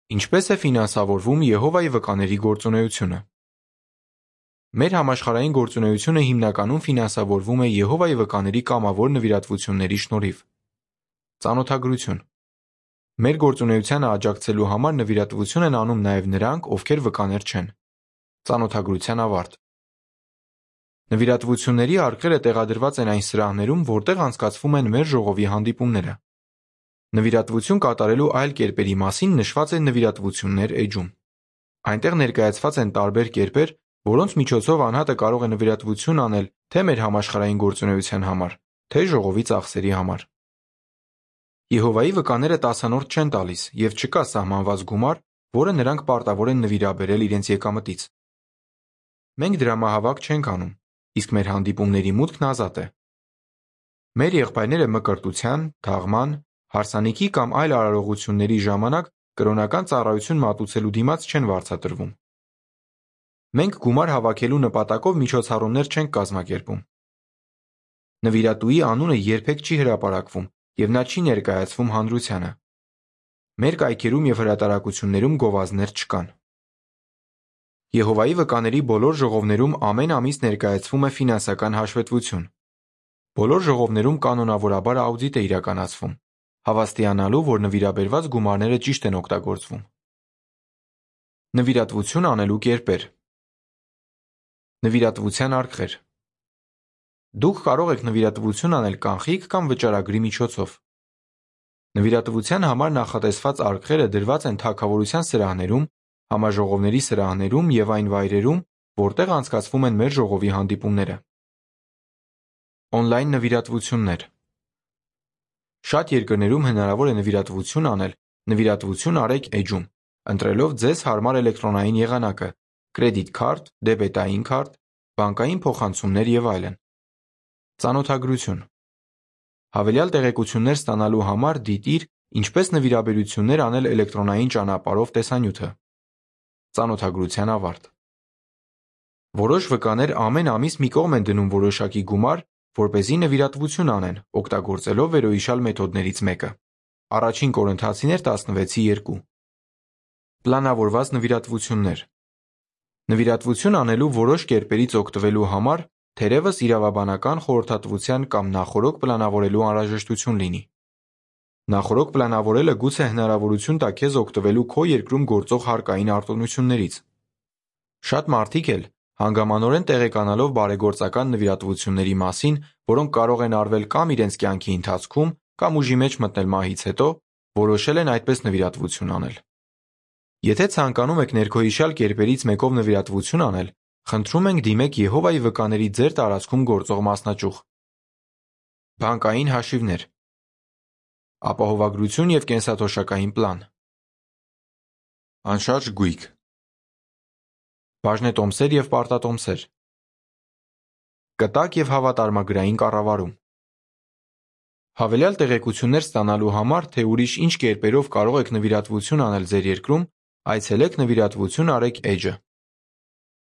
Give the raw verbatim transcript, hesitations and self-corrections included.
Ինչպես է ֆինանսավորվում Եհովայի վկաների գործունեությունը։ Մեր համաշխարհային գործունեությունը հիմնականում ֆինանսավորվում է Եհովայի վկաների կամավոր նվիրատվությունների շնորհիվ։ Ծանոթագրություն։ Մեր գործունեությանը աջակցելու համար նվիրատվություն են անում նաև նրանք, ովքեր վկաներ չեն։ Ծանոթագրության ավարտ։ Նվիրատվությունների արկղերը տեղադրված են այն սրահներում, որտեղ անցկացվում են մեր ժողովի հանդիպումները։ Նվիրատվություն կատարելու այլ կերպերի մասին նշված է նվիրատվություններ էջում։ Այնտեղ ներկայացված են տարբեր կերպեր, որոնց միջոցով անհատը կարող է նվիրատվություն անել թե մեր համաշխարհային գործունեության համար, թե ժողովի ծախսերի համար։ Եհովայի վկաները տասանորդ չեն տալիս և չկա սահմանված գումար, որը նրանք պարտավոր են նվիրաբերել իրենց եկամտից։ Մենք դրամահավաք չենք անում, իսկ մեր հանդիպումների մուտքն ազատ է։ Մեր եղբայրները մկրտության, թաղման, հարսանիքի կամ այլ արարողությունների ժամանակ կրոնական ծառայություն մատուցելու դիմաց չեն վարձատրվում։ Մենք գումար հավաքելու նպատակով միջոցառումներ չենք կազմակերպում։ Նվիրատուի անունը երբեք չի հրապարակվում և նա չի ներկայացվում հանրությանը։ Մեր կայքերում և հրատարակություններում գովազդներ չկան։ Եհովայի վկաների բոլոր ժողովներում ամեն ամիս ներկայացվում է ֆինանսական հաշվետվություն։ Բոլոր ժողովներում կանոնավորաբար աուդիտ է իրականացվում, հավաստիանալու, որ նվիրաբերված գումարները ճիշտ են օգտագործվում։ Նվիրատվություն անելու կերպեր։ Նվիրատվության արկղեր։ Դուք կարող եք նվիրատվություն անել կանխիկ կամ վճարագրի միջոցով։ Նվիրատվության համար նախատեսված արկղերը դրված են թագավորության սրահներում, համաժողովների սրահներում և այն վայրերում, որտեղ անցկացվում են մեր ժողովի հանդիպումները։ Օնլայն նվիրատվություններ։ Շատ երկրներում հնարավոր է նվիրատվություն անել «Նվիրատվություն արեք» էջում, ընտրելով ձեզ հարմար էլեկտրոնային եղանակը՝ կրեդիտ քարտ, դեբետային քարտ, բանկային փոխանցումներ և այլն։ Ծանոթագրություն։ Հավելյալ տեղեկություններ ստանալու համար դիտիր «Ինչպես նվիրաբերություններ անել էլեկտրոնային ճանապարհով» տեսանյութը։ Ծանոթագրության ավարտ։ Որոշ վկաներ ամեն ամիս մի կողմ են դնում որոշակի գումար, որպեսզի նվիրատվություն անեն, օգտագործելով վերոհիշյալ մեթոդներից մեկը։ Առաջին Կորինթացիներ տասնվեցի երկու։ Պլանավորված նվիրատվություններ։ Նվիրատվություն անելու որոշ կերպերից օգտվելու համար թերևս իրավաբանական խորհրդատվության կամ նախօրոք պլանավորելու անհրաժեշտություն լինի։ Նախօրոք պլանավորելը գուցե հնարավորություն տա քեզ օգտվելու քո երկրում գործող հարկային արտոնություններից։ Շատ մարդիկ էլ, հանգամանորեն տեղեկանալով բարեգործական նվիրատվությունների մասին, որոնք կարող են արվել կամ իրենց կյանքի ընթացքում, կամ ուժի մեջ մտնել մահից հետո, որոշել են այդպես նվիրատվություն անել։ Եթե ցանկանում եք ներքոհիշյալ կերպերից մեկով նվիրատվություն անել, խնդրում ենք դիմեք Եհովայի վկաների ձեր տարածքում գործող մասնաճյուղ։ Բանկային հաշիվներ։ Ապահովագրություն և կենսաթոշակային պլան։ Անշարժ գույք։ Բաժնետոմսեր և պարտատոմսեր։ Կտակ և հավատարմագրային կառավարում։ Հավելյալ տեղեկություններ ստանալու համար, թե ուրիշ ինչ կերպերով կարող եք նվիրատվություն անել ձեր երկրում, այցելեք նվիրատվություն արեք էջը։